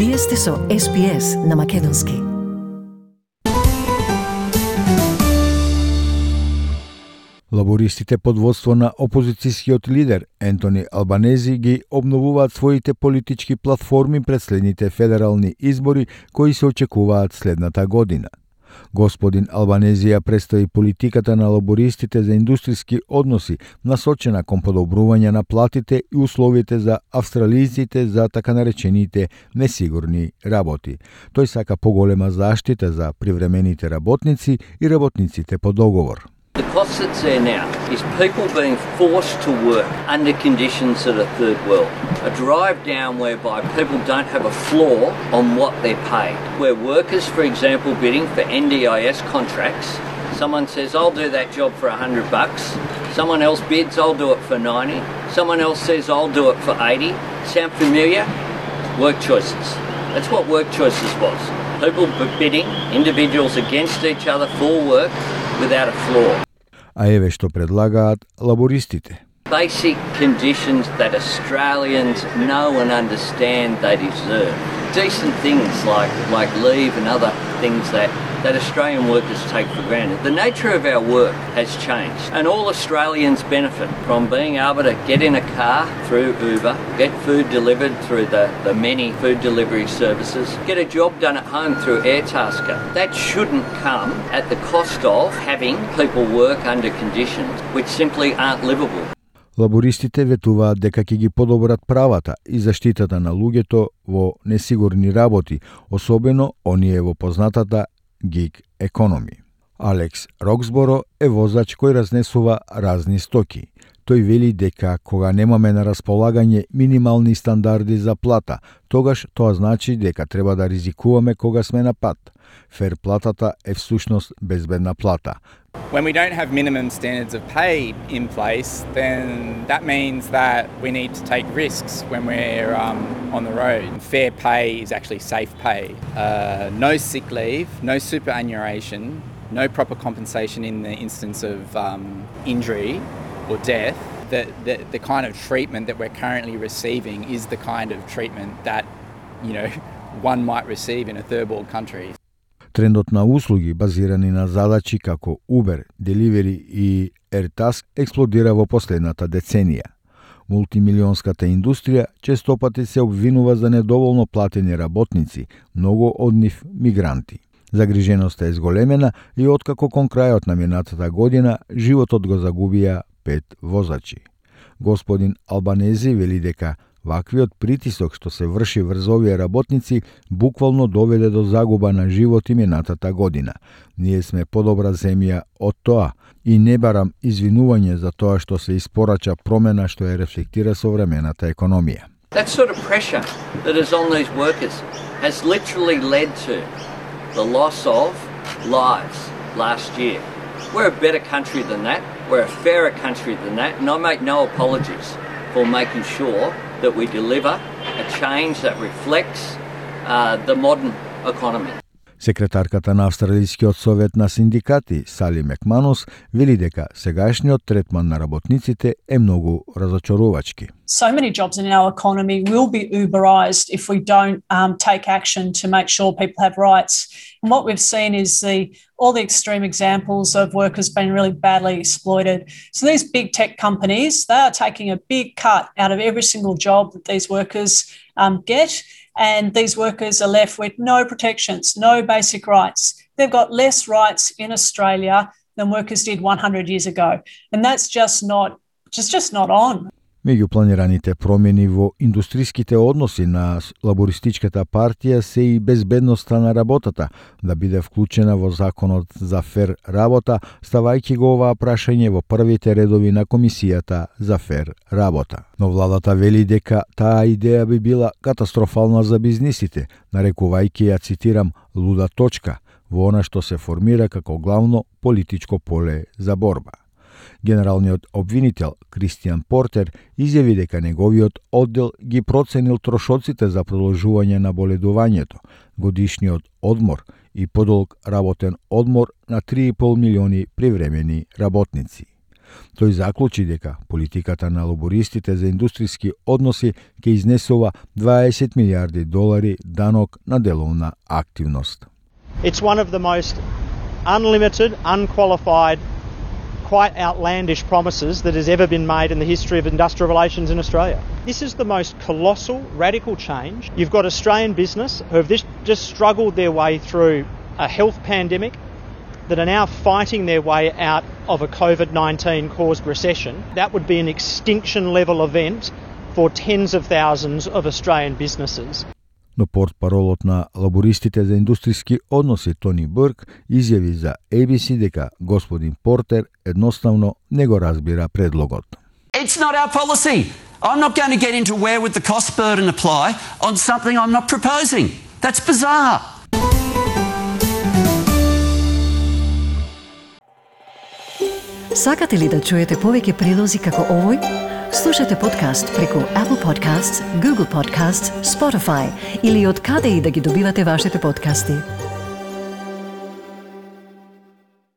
Вие сте со SPS на Македонски. Лабористите под водство на опозицијскиот лидер Ентони Албанези ги обновуваат своите политички платформи пред следните федерални избори кои се очекуваат следната година. Господин Албанези ја представи политиката на лабористите за индустријски односи, насочена кон подобрување на платите и условите за австралијците за така наречените несигурни работи. Тој сака поголема заштита за привремените работници и работниците по договор. The cost that's there now is people being forced to work under conditions that are third world. A drive down whereby people don't have a floor on what they're paid. Where workers, for example, bidding for NDIS contracts, someone says, I'll do that job for $100. Someone else bids, I'll do it for 90. Someone else says, I'll do it for 80. Sound familiar? Work choices. That's what work choices was. People bidding, individuals against each other for work without a floor. А еве што предлагаат лабористите. Basic conditions that Australians know and understand they deserve. Decent things like leave and other things that Australian workers take for granted. The nature of our work has changed, and all Australians benefit from being able to get in a car through Uber, get food delivered through the many food delivery services, get a job done at home through Airtasker. That shouldn't come at the cost of having people work under conditions which simply aren't livable. Лабористите ветуваат дека ќе ги подобрат правата и заштитата на луѓето во несигурни работи, особено оние во познатата гиг економи. Алекс Роксборо е возач кој разнесува разни стоки. Тој вели дека кога немаме на располагање минимални стандарди за плата, тогаш тоа значи дека треба да ризикуваме кога сме на пат. Фер платата е всушност безбедна плата. When we don't have minimum standards of pay in place, then that means that we need to take risks when we're on the road. Fair pay is actually safe pay. No sick leave, no superannuation, no proper compensation in the instance of injury or death. The kind of treatment that we're currently receiving is the kind of treatment that, one might receive in a third world country. Трендот на услуги базирани на задачи како Uber, Delivery и AirTask експлодира во последната деценија. Мултимилионската индустрија честопати се обвинува за недоволно платени работници, многу од нив мигранти. Загриженоста е зголемена и откако кон крајот на минатата година животот го загубија 5 возачи. Господин Албанези вели дека ваквиот притисок што се врши врз овие работници буквално доведе до загуба на животи минатата година. Ние сме подобра земја од тоа и не барам извинување за тоа што се испорача промена што ја рефлектира современата економија. That sort of pressure that is on these workers has literally led to the loss of lives last year. We're a better country than that. We're a fairer country than that, and I make no apologies for making sure that we deliver a change that reflects the modern economy. Секретарката на Австралискиот совет на синдикати Сали Макманус вели дека сегашниот третман на работниците е многу разочарувачки. So many jobs in our economy will be Uberized if we don't take action to make sure people have rights. And what we've seen is all the extreme examples of workers being really badly exploited. So these big tech companies, they are taking a big cut out of every single job that these workers get. And these workers are left with no protections, no basic rights. They've got less rights in Australia than workers did 100 years ago. And that's just not on. Меѓу планираните промени во индустријските односи на лабористичката партија се и безбедноста на работата да биде вклучена во законот за фер работа, ставајќи го оваа прашање во првите редови на комисијата за фер работа. Но владата вели дека таа идеја би била катастрофална за бизнисите, нарекувајќи ја, цитирам, луда точка во она што се формира како главно политичко поле за борба. Генералниот обвинител Кристијан Портер изјави дека неговиот оддел ги проценил трошоците за продолжување на боледувањето, годишниот одмор и подолг работен одмор на 3,5 милиони привремени работници. Тој заклучи дека политиката на лабористите за индустријски односи ќе изнесува $20 милиарди данок на деловна активност. It's one of the most unlimited, unqualified, quite outlandish promises that has ever been made in the history of industrial relations in Australia. This is the most colossal, radical change. You've got Australian business who have just struggled their way through a health pandemic, that are now fighting their way out of a COVID-19 caused recession. That would be an extinction level event for tens of thousands of Australian businesses. Но портпаролот на лабористите за индустријски односи Тони Бурк изјави за ABC дека господин Портер едноставно не го разбира предлогот. It's not our policy. I'm not going to get into where would the cost burden apply on something I'm not proposing. That's bizarre. Сакате ли да чуете повеќе прилози како овој? Слушате подкаст преку Apple Podcasts, Google Podcasts, Spotify или од каде и да ги добивате вашите подкасти.